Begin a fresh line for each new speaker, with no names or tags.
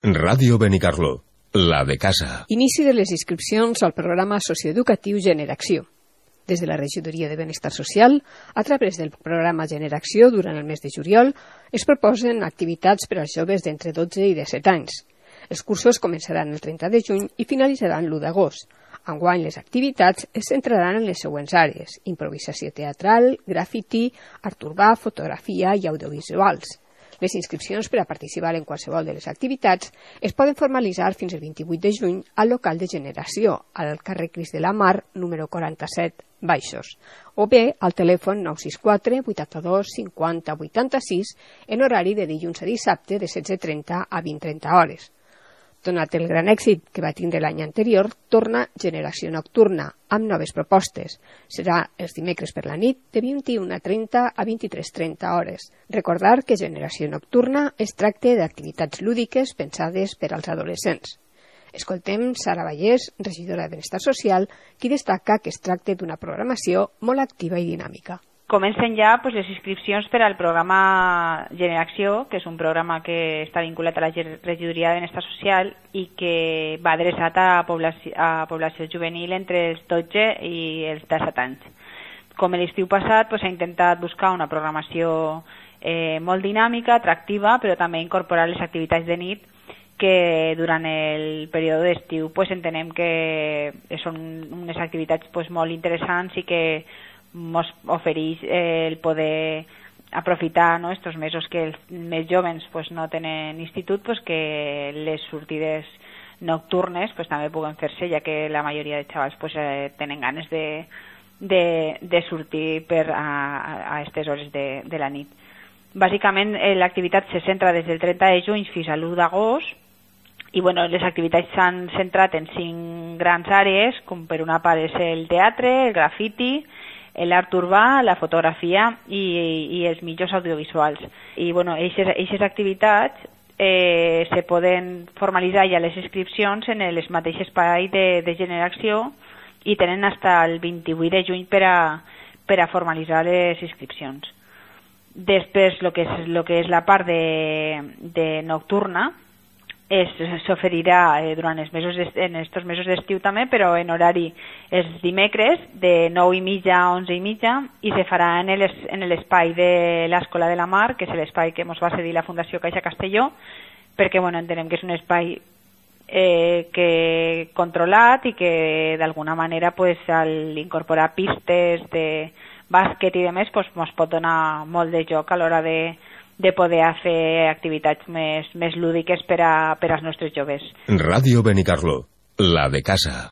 Ràdio Benicarló, la de casa.
Inici de les inscripcions al programa socioeducatiu Generació. Des de la Regidoria de Benestar Social, a través del programa Generació, durant el mes de juliol, es proposen activitats per als joves d'entre 12 i 17 anys. Els cursos començaran el 30 de juny i finalitzaran l'1 d'agost. Enguany, les activitats es centraran en les següents àrees: improvisació teatral, grafiti, art urbà, fotografia i audiovisuals. Les inscripcions per a participar en qualsevol de les activitats es poden formalitzar fins el 28 de juny al local de Generació, al carrer Crist de la Mar, número 47, Baixos, o bé al telèfon 964 82 50 86 en horari de dilluns a dissabte de 16:30 a 20:30 hores. Donat el gran èxit que va tindre l'any anterior, torna Generació Nocturna, amb noves propostes. Serà els dimecres per la nit, de 21:30 a 23:30 hores. Recordar que Generació Nocturna es tracta d'activitats lúdiques pensades per als adolescents. Escoltem Sara Vallès, regidora de Benestar Social, qui destaca que es tracta d'una programació molt activa i dinàmica.
Comencen ja les inscripcions per al programa Generació, que és un programa que està vinculat a la Regidoria de Benestar Social i que va adreçat a població juvenil entre els 12 i els 17 anys. Com l'estiu passat, s'ha intentat buscar una programació molt dinàmica, atractiva, però també incorporar les activitats de nit que durant el període d'estiu entenem que són unes activitats molt interessants i que ens ofereix el poder aprofitar estos mesos que els més joves no tenen institut, que les sortides nocturnes també puguen fer-se, ja que la majoria de xavals tenen ganes de sortir a aquestes hores de la nit. Bàsicament l'activitat se centra des del 30 de juny fins a l'1 d'agost i les activitats s'han centrat en 5 grans àrees, com per una part és el teatre, el grafiti, l'art urbà, la fotografia i els mitjans audiovisuals. I aquestes activitats se poden formalitzar ja les inscripcions en el mateix espai de Generació i tenen fins al 28 de juny per a formalitzar les inscripcions. Després, el que és la part de nocturna, s'oferirà durant en estos mesos d'estiu també, però en horari els dimecres de 9:30 a 11:30 i se farà en l'espai de l'Escola de la Mar, que és l'espai que ens va cedir la Fundació Caixa Castelló, perquè entenem que és un espai controlat i que d'alguna manera al incorporar pistes de bàsquet i demés ens pot donar molt de joc a l'hora de poder fer activitats més lúdiques per als nostres joves.
Ràdio Benicarló, la de casa.